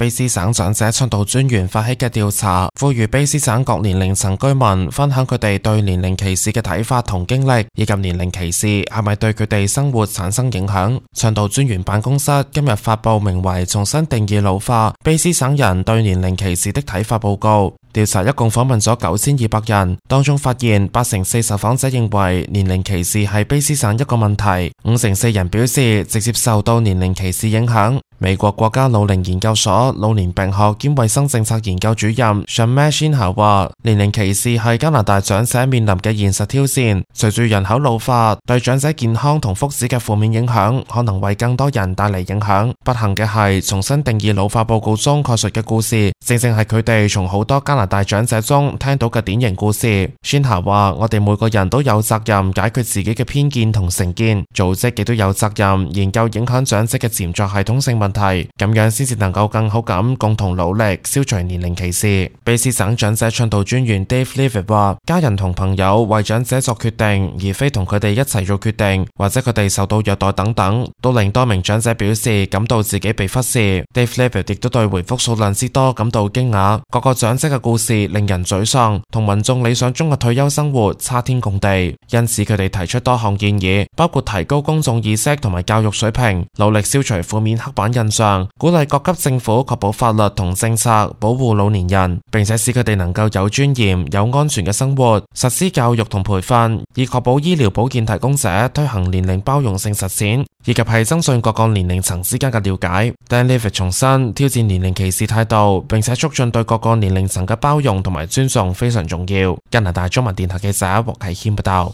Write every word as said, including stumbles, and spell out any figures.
卑斯省長者倡導專員發起嘅調查，呼籲卑斯省各年齡層居民分享佢哋對年齡歧視嘅睇法同經歷，以及年齡歧視係咪對佢哋生活產生影響。倡導專員辦公室今日發佈名為《重新定義老化：卑斯省人對年齡歧視的睇法》報告。調查一共訪問咗九千二百人，當中發現八成四受訪者認為年齡歧視係卑斯省一個問題，五成四人表示直接受到年齡歧視影響。美國國家老齡研究所老年病學兼衛生政策研究主任 Shameh Shinha 話，年齡歧視係加拿大長者面臨嘅現實挑戰。隨住人口老化，對長者健康同福祉嘅負面影響可能為更多人帶嚟影響。不幸嘅係，重新定義老化報告中概述嘅故事，正正係佢哋從好多加拿大長者中聽到嘅典型故事。Shinha 話，我哋每個人都有責任解決自己嘅偏見同成見，組織亦都有責任研究影響長者嘅潛在系統性問題，咁樣先至能夠更好咁共同努力消除年齡歧視。卑斯省長者倡導專員 Dave Levitt 話，家人同朋友為長者作決定，而非同佢哋一齊做決定，或者佢哋受到虐待等等，都令多名長者表示感到自己被忽視。Dave Levitt 亦都對回覆數量之多感到驚訝，各個長者嘅故事令人沮喪，同民眾理想中嘅退休生活差天共地。因此佢哋提出多項建議，包括提高公眾意識同埋教育水平，努力消除負面刻板印象，鼓勵各級政府確保法律同政策保護老年人，並且使佢哋能夠有尊嚴、有安全嘅生活，實施教育同培訓，以確保醫療保健提供者推行年齡包容性實踐，以及係增進各個年齡層之間嘅了解。但 Levitt 重申挑戰年齡歧視態度，並且促進對各個年齡層嘅包容同埋尊重非常重要。加拿大中文電台記者黃啟謙報道。